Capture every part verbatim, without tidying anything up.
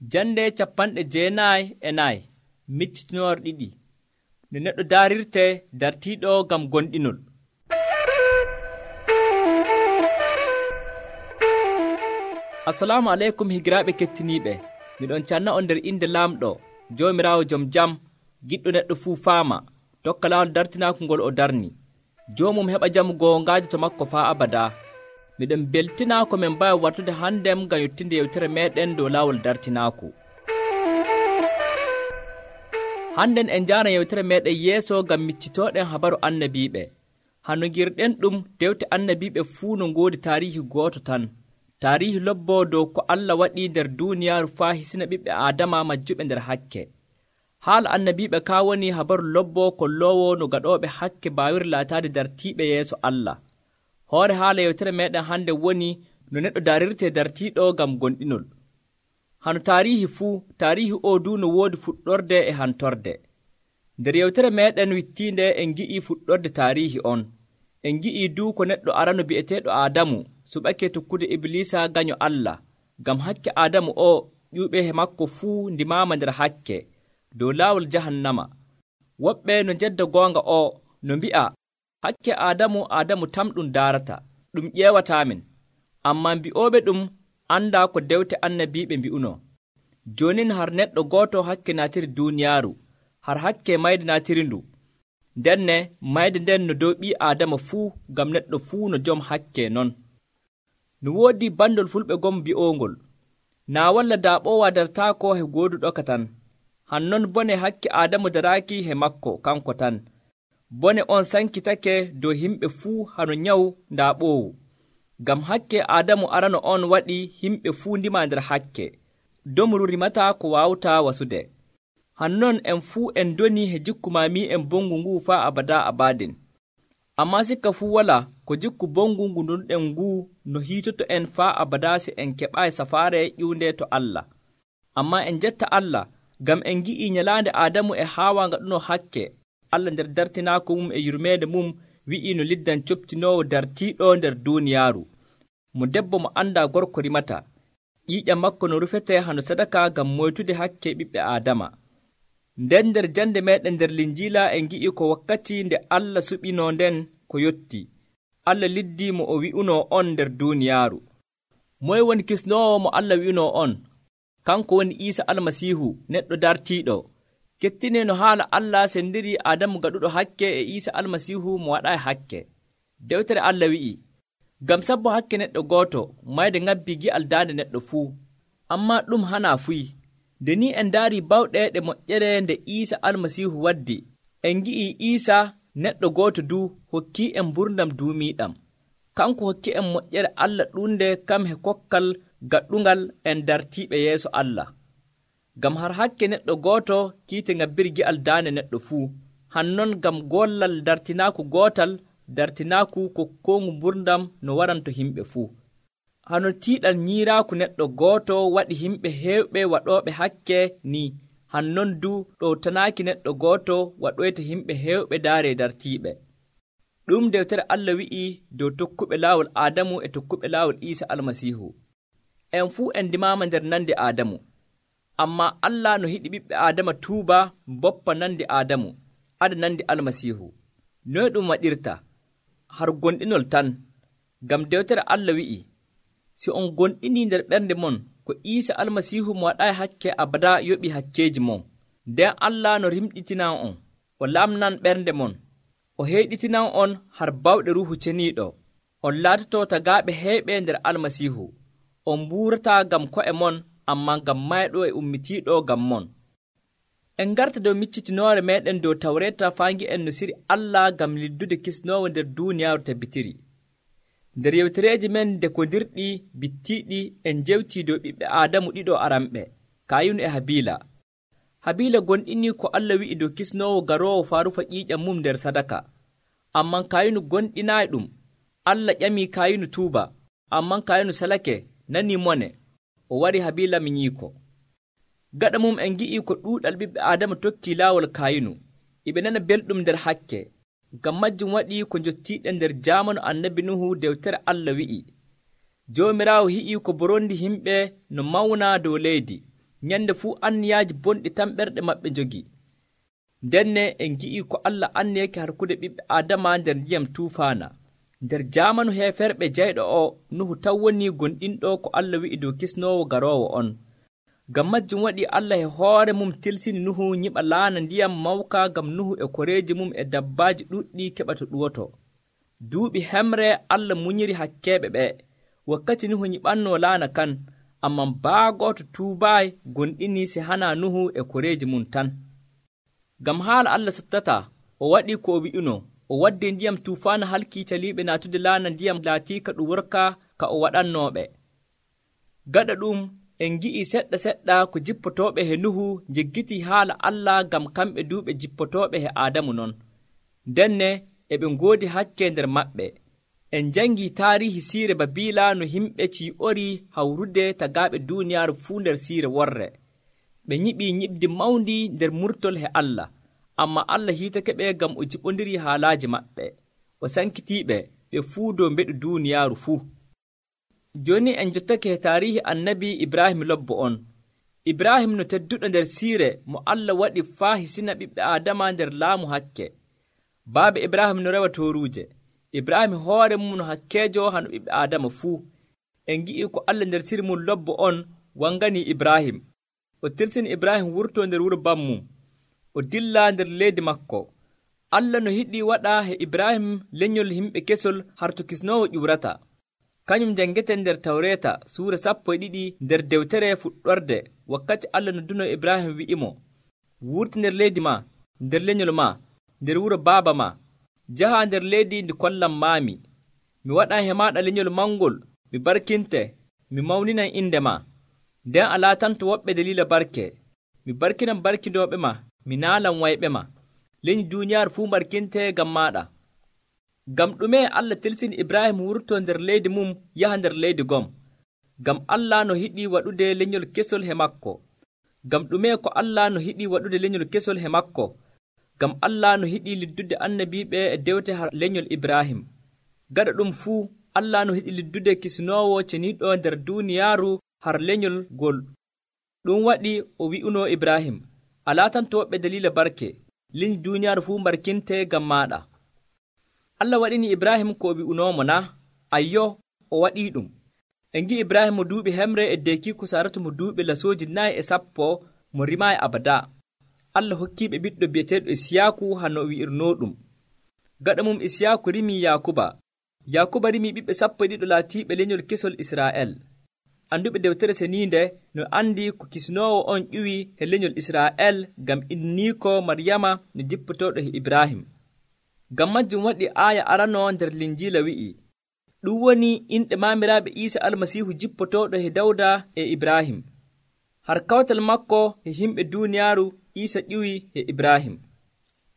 Jande capanɗe jeenayi e nayi miccitinoore ɗiɗi no neɗɗo daarirte dartiiɗo ngam gonɗinol. Assalamu aleykum higiraaɓe kettiniiɓe, miɗon canna on nder inde laamɗo Joomiraawo jom jam, giɗɗo neɗɗo fuu faama tokka laawol dartinaaku ngol o darni. Joomum heɓa jamu goongaaji to makko faa abadaa. Miɗen beltinaa ko min mbawi wartude handem ngam yottinde yewtere meɗen dow laawol dartinaaku. Hannden en njaaran yewtere meɗen yeeso ngam miccitooɗen habaru annabiiɓe. Hano ngirɗen ɗum dewte annabiiɓe fuu no ngoodi taarihi gooto tan. Taarihi lobbo dow ko Allah waɗi nder duuniyaaru faa hisina ɓiɓɓe Aadama majjuɓe nder hakke. Haala annabiiɓe kaa woni habaru lobbo kolloowo no gaɗooɓe hakke mbaawiri laataade dartiiɓe yeeso Allah. Hoore haala yewtere meɗen hande woni no neɗɗo daarirte dartiiɗo ngam gonɗinol. Hano taarihi fuu, taarihi o du no woodi fuɗɗorde e hantorde. Nder yewtere meɗen wittiinde en ngi'i fuɗɗorde taarihi on. En ngi'i du ko neɗɗo arano bi'eteeɗo Aadamu suɓake tokkude Iblisa gaño Allah, ngam hakke Aadamu o ƴuuɓe he makko fuu ndimaama nder hakke dow laawol jahannama. Woɓɓe no jedda goonga o no mbi'a hakke Aadamu Aadamu tam ɗum daarata, ɗum ƴeewataamin. Ammaa mbi'ooɓe ɗum anndaa ko dewte annabiiɓe mbi'uno. Joonin har neɗɗo gooto hakke naatiri duuniyaaru, har hakke mayde naatiri ndu. Ndenne mayde nden no dow ɓii Aadama fuu, ngam neɗɗo fuu no jom hakke non. No woodi bandol fulɓe gom mbi'oongol, naa walla daaɓoowa dartaako he gooduɗo ka tan. Hannon bone hakke Aadamu daraaki he makko kanko tan. Bone on sankitake dow himɓe fuu hano nyawu daaɓoowu. Ngam hakke Aadamu arano on waɗi himɓe fuu ndima nder hakke. Domru rimataa ko waawtaa wasude. Hannon en fuu en doni he jikku maami'en bongu nguu faa abadaa abaadin. Ammaa sikka fuu walaa ko jikku bongu ngu ndonɗen nguu no hiitoto en faa abadaa si en keɓaayi safaare ƴiwnde to Allah. Ammaa en jetta Allah ngam en ngi'ii nyalaande Aadamu e Haawa ngaɗuno hakke. Allah nder dartinaako mum e yurmeende mum wi'ii no liddan coptinoowo dartiiɗo nder duuniyaaru. Mo debbo mo anndaa gorko rimata, ƴiiƴam makko no rufetee hano sadaka ngam moytude hakke ɓiɓɓe Aadama. Nden nder jande meɗen nder Linjiila en ngi'i ko wakkati nde Allah suɓinoo nden ko yotti. Allah liddii mo o wi'unoo on nder duuniyaaru. Moye woni kisnoowo mo Allah wi'unoo on? Kanko woni Iisa Almasiihu, neɗɗo dartiiɗo. Kettinee no haala Allah sendiri Aadamu gaɗuɗo hakke e Iisa Almasiihu mo waɗaayi hakke. Dewtere Allah wi'i, ngam sabbo hakke neɗɗo gooto mayde ŋabbii gi'al daande neɗɗo fuu. Ammaa ɗum hanaa fuyi. Nde ni en ndaari bawɗe ɗe moƴƴere nde Iisa Almasiihu waddi, en ngi'ii Iisa neɗɗo gooto du hokkii en mburdam duumiiɗam. Kanko hokki en moƴƴere Allah ɗunde kam he kokkal gaɗɗungal en dartiiɓe yeeso Allah. Ngam har hakke neɗɗo gooto kiite ŋabbiri gi'al daande neɗɗo fuu. Hannon ngam gollal dartinaaku gootal, dartinaaku kokkoongu mburdam no waranto himɓe fuu. Hano tiiɗal nyiiraaku neɗɗo gooto waɗi himɓe heewɓe waɗooɓe hakke ni, hannon du ɗowtanaaki neɗɗo gooto waɗoyta himɓe heewɓe daare dartiiɓe. Ɗum dewtere Allah wi'ii dow tokkuɓe laawol Aadamu e tokkuɓe laawol Iisa Almasiihu. En fuu en ndimaama nder nande Aadamu. Ammaa Allah no hiɗi ɓiɓɓe Aadama tuuba mboppa nande Aadamu, ada nande Almasiihu. Noye ɗum waɗirta? Har gonɗinol tan. Ngam dewtere Allah wi'i, si on gonɗinii nder ɓernde mon ko Iisa Almasiihu mo waɗaayi hakke abadaa yoɓi hakkeeji mon, nden Allah no rimɗitinan on, o lamnan ɓernde mon, o heyɗitinan on har bawɗe Ruuhu Ceniiɗo. On laatoto tagaaɓe heeɓe nder Almasiihu. On mbuurataa ngam ko'e mon, ammaa ngam mayɗo e ummitiiɗo ngam mon. En ngarta dow miccitinoore meɗen dow Tawreeta faangi en no siri Allah ngam liddude kisnoowo nder duuniyaaru tabbitiri. Nder yewtereeji men dekondirɗi bittiiɗi en njewtii dow ɓiɓɓe Aadamu ɗiɗo aranɓe, Kaayinu e Habiila. Habiila gonɗinii ko Allah wi'i dow kisnoowo garoowo faa rufa ƴiiƴam mum nder sadaka. Amman Kaayinu gonɗinaayi ɗum. Allah ƴamii Kaayinu tuuba, amman Kaayinu salake, nanii mone, o wari Habiila minyiiko. Gaɗa mum en ngi'ii ko ɗuuɗal ɓiɓɓe Aadama tokkii laawol Kaayinu, iɓe nana belɗum nder hakke. Ngam majjum waɗi ko njottiiɗen nder jaamanu annabi Nuhu dewtere Allah wi'i, Joomiraawo hi'ii ko borondi himɓe no mawna dow leydi, nyande fuu anniyaaji bonɗi tan ɓerɗe maɓɓe njogi. Ndenne en ngi'ii ko Allah anniyake harkude ɓiɓɓe Aadama nder ndiyam tuufaana. Nder jaamanu heeferɓe jayɗo o, Nuhu taw woni gonɗinɗo ko Allah wi'i dow kisnoowo garoowo on. Ngam majjum waɗii Allah e hoore mum tilsini Nuhu nyiɓa laana ndiyam mawka ngam Nuhu e koreeji mum e dabbaaji ɗuuɗɗi keɓa to ɗuwoto. Duuɓi hemre Allah munyiri hakkeeɓe ɓe, wakkati Nuhu nyiɓannoo laana kan, amman baagooto tuubaayi gonɗini se hana Nuhu e koreeji mum tan. Ngam haala Allah sottataa, o waɗii ko o wi'uno, o waddi ndiyam tuufaana halkii caliiɓe naatude laana ndiyam laatiika ɗum worka ka o waɗannooɓe. Gaɗa ɗum en ngi'ii seɗɗa seɗɗa ko jippotooɓe he Nuhu njeggitii haala Allah ngam kamɓe duuɓe jippotooɓe he Aadamu non. Ndenne e ɓe ngoodi hakke nder maɓɓe. En njangii taarihi siire Babiila no yimɓe cii'orii hawrude tagaaɓe duuniyaaru fuu nder siire worre. Ɓe nyiɓii nyiɓdi mawndi nder murtol he Allah, amma Allah hiitake ɓe ngam o jiɓondirii haalaaji maɓɓe. O sankitiiɓe ɓe fuu dow mbeɗu duuniyaaru fuu. Jooni en jottake he taarihi annabi Ibrahim lobbo on. Ibrahim no tedduɗo nder siire mo Allah waɗi faa hisina ɓiɓɓe Aadama nder laamu hakke. Baaba Ibrahim no rewa tooruuje. Ibrahim hoore mum no hakkeejo hano ɓiɓɓe Aadama fuu. En ngi'ii ko Allah nder siri mum lobbo on wanganii Ibrahim. O tirsini Ibrahim wurtoo nder wuro bammum, o dilla nder leydi makko. Allah no yiɗii waɗa he Ibrahim lenyol yimɓe kesol har to kisnoowo ƴuurata. Kañum janngeten nder Tawreeta suura sappo e ɗiɗi nder dewtere fuɗɗorde, wakkati Allah no duno Ibrahim wi'imo, wurti nder leydi ma, nder lenyol ma, nder wuro baaba ma, jaha nder leydi ndi kollam maami. Mi waɗan he maaɗa lenyol mangol, mi barkinte, mi mawninan inde ma. Nden a laatanto woɓɓe daliila barke. Mi barkinan barkinooɓe ma, mi naalan wayɓe ma. Leñi duuniyaaru fuu barkinte ngam maaɗa. Ngam ɗume Allah tilsini Ibrahim wurtoo nder leydi mum yaha nder leydi gom? Ngam Allah no yiɗii waɗude lenyol kesol he makko. Ngam ɗume ko Allah no yiɗii waɗude lenyol kesol he makko? Ngam Allah no yiɗii liddude annabiiɓe e dewte har lenyol Ibrahim. Gaɗa ɗum fuu, Allah no yiɗi liddude kisnoowo ceniiɗo nder duuniyaaru har lenyol ngol. Ɗum waɗi o wi'unoo Ibrahim, a laatanto woɓɓe daliila barke, liñi duuniyaaru fuu barkinte ngam maaɗa. Allah waɗini Ibrahim ko o wi'unoomo na? Ayyo, o waɗii ɗum. En ngi'i Ibrahim mo duuɓi hemre e deekiiko saratu mo duuɓi lasooji nayi e sappo mo rimaayi abada. Allah hokkiiɓe ɓiɗɗo bi'eteeɗo Isiyaaku hano o wi'irnoo ɗum. Gaɗa mum Isiyaaku rimii Yaakuba. Yaakuba rimii ɓiɓɓe sappo e ɗiɗo laatiiɓe lenyol kesol Israa'el. Anduɓe dewtere seniinde no andi ko kisnoowo on ƴuwi he lenyol Israa'el ngam inniiko Maryama no jippotooɗo he Ibrahim. Ngam majjum waɗi aaya aranoo nder Linjiila wi'i, ɗum woni inɗe maamiraaɓe Iisa Almasiihu jippotooɗo he Dawda e Ibrahim. Har kawtal makko he yimɓe duuniyaaru Iisa ƴuwi he Ibrahim.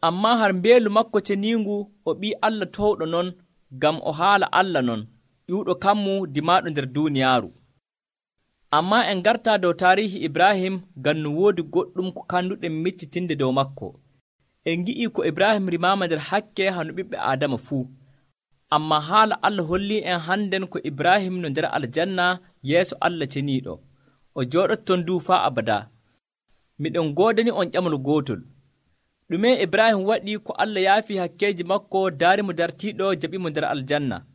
Ammaa har mbeelu makko ceniingu o ɓii Allah towɗo non, ngam o haala Allah non, ƴuuɗo kammu dimaaɗo nder duuniyaaru. Ammaa en gartaa dow taarihi Ibrahim ngam no woodi goɗɗum ko kannduɗen miccitinde dow makko. En ngi'ii ko Ibrahim rimaama nder hakke hano ɓiɓɓe Aadama fuu. Ammaa haala Allah hollii en hannden ko Ibrahim no nder aljanna yeeso Allah ceniiɗo. O jooɗoto ton duu faa abada. Miɗen goodani on ƴamol gootol. Ɗume Ibrahim waɗi ko Allah yaafii hakkeeji makko daarimo dartiiɗo jaɓimo nder aljanna?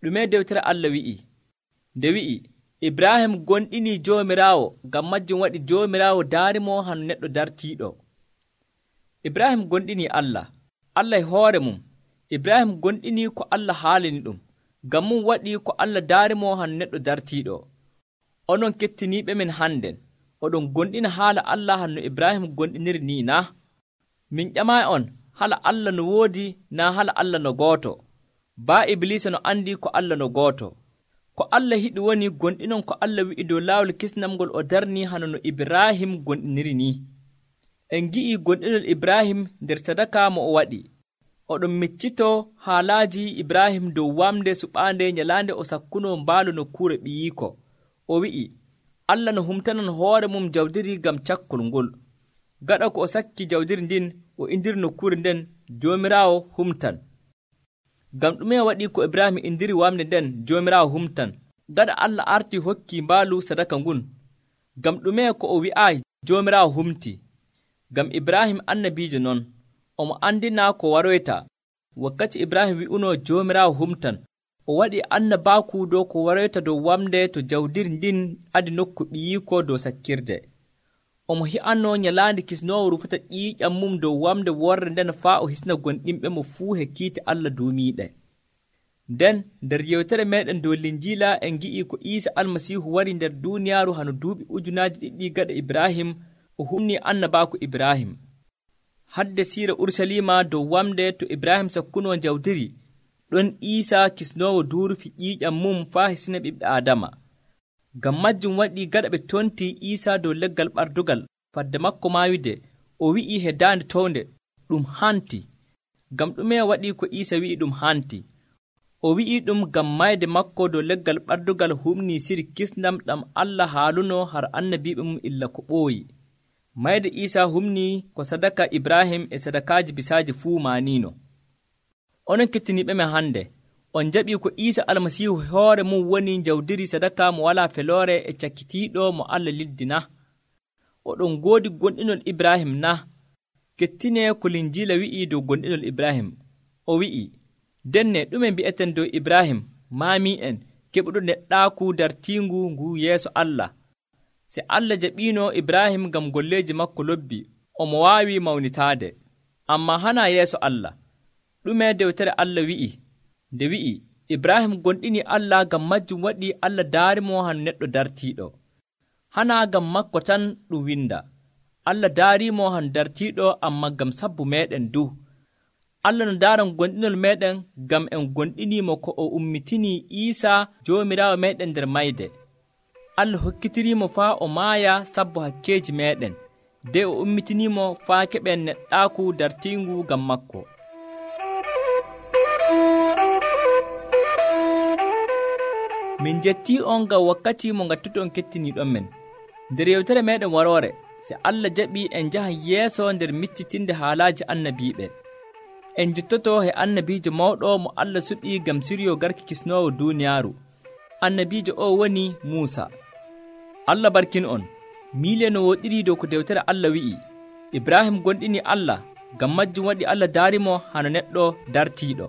Ɗume dewtere Allah wi'i? Nde wi'i, Ibrahim gonɗinii Joomiraawo, ngam majjum waɗi Joomiraawo daarimo hano neɗɗo dartiiɗo. Ibrahim gonɗinii Allah, Allah e hoore mum. Ibrahim gonɗinii ko Allah haalini ɗum, ngam mum waɗi ko Allah daarimo hano neɗɗo dartiiɗo. Onon kettiniiɓe men hannden, oɗon gonɗina haala Allah hanno Ibrahim gonɗiniri ni na? Min ƴamaayi on, hala Allah no woodi naa hala Allah no gooto. Baa Ibliisa no andi ko Allah no gooto. Ko Allah yiɗi woni gonɗinon ko Allah wi'i dow laawol kisnamgol o darni hano no Ibrahim gonɗiniri ni. En ngi'ii gonɗinol Ibrahim nder sadaka mo o waɗi. Oɗon miccitoo haalaaji Ibrahim dow wamde suɓaande nyalaande o sakkunoo mbaalu nokkuure ɓiyiiko. O wi'i, Allah no humtanan hoore mum jawdiri ngam cakkol ngol. Gaɗa ko o sakki jawdiri ndin, o indiri nokkuure nden Joomiraawo humtan. Ngam ɗume waɗi ko Ibrahim indiri wamde nden Joomiraawo humtan? Gaɗa Allah arti hokki mbaalu sadaka ngun. Ngam ɗume ko o wi'aayi Joomiraawo humti? Ngam Ibrahim annabiijo non, omo andina ko waroyta. Wakkati Ibrahim wi'unoo Joomiraawo humtan, o waɗi annabaaku dow ko waroyta dow wamde to jawdiri ndin adi nokku ɓiyiiko dow sakkirde. Omo hi'anoo nyalaande kisnoowo rufata ƴiiƴam mum dow wamde worre nden faa o hisna gonɗinɓe mo fuu he kiite Allah duumiiɗe. Nden nder yewtere meeɗen dow Linjiila en ngi'ii ko Iisa Almasiihu wari nder duuniyaaru hano duuɓi ujunaaji ɗiɗi gaɗa Ibrahim o humnii annabaaku Ibrahim. Hadde siira Urusalima dow wamde to Ibrahim sakkunoo jawdiri, ɗon Iisa kisnoowo duurufi ƴiiƴam mum faa hisina ɓiɓɓe Aadama. Ngam majjum waɗi gaɗa ɓe tontii Iisa dow leggal ɓardugal fadde makko maayude, o wi'ii he daande townde, ɗum hanti. Ngam ɗume waɗi ko Iisa wi'i ɗum hanti? O wi'ii ɗum ngam mayde makko dow leggal ɓardugal humnii siri kisndam ɗam Allah haalunoo har annabiiɓe mum illa ko ɓooyi. Mayde Iisa humnii ko sadaka Ibrahim e sadakaaji bisaaji fuu maaniino. Onon kettiniiɓe men hannde, on jaɓii ko Iisa Almasiihu hoore mum woni jawdiri sadaka mo walaa feloore e cakkitiiɗo mo Allah liddi na? Oɗon ngoodi gonɗinol Ibrahim na? Kettinee ko Linjiila wi'ii dow gonɗinol Ibrahim. O wi'ii, denne ɗume mbi'eten dow Ibrahim maami'en keɓuɗo neɗɗaaku dartiingu ngu yeeso Allah. Se Allah jaɓiino Ibrahim ngam golleeji makko lobbi, omo waawi mawnitaade. Ammaa hana yeeso Allah. Ɗume dewtere Allah wi'i? Nde wi'i, Ibrahim gonɗini Allah, ngam majjum waɗi Allah daarimo hano neɗɗo dartiiɗo. Hana ngam makko tan ɗum winda. Allah daariimo hano dartiiɗo, ammaa ngam sabbu meeɗen du. Allah no daaran gonɗinol meeɗen ngam en gonɗiniimo ko o ummitinii Iisa Joomiraawo meeɗen nder mayde. Allah hokkitiriimo faa o maaya sabbu hakkeeji meeɗen, nde o ummitiniimo faa keɓen neɗɗaaku dartiingu ngam makko. Min jettii on ngam wakkati mo ngattuton kettiniiɗon men. Nder yewtere meeɗen waroore, se Allah jaɓii en njahan yeeso nder miccitinde haalaaji annabiiɓe. En jottotoo he annabiijo mawɗo mo Allah suɓii ngam siryo garki kisnoowo duuniyaaru. Annabiijo o woni Muusa. Allah barkin on, miile no woɗiri dow ko dewtere Allah wi'i. Ibrahim gonɗini Allah, ngam majjum waɗi Allah daarimo hano neɗɗo dartiiɗo.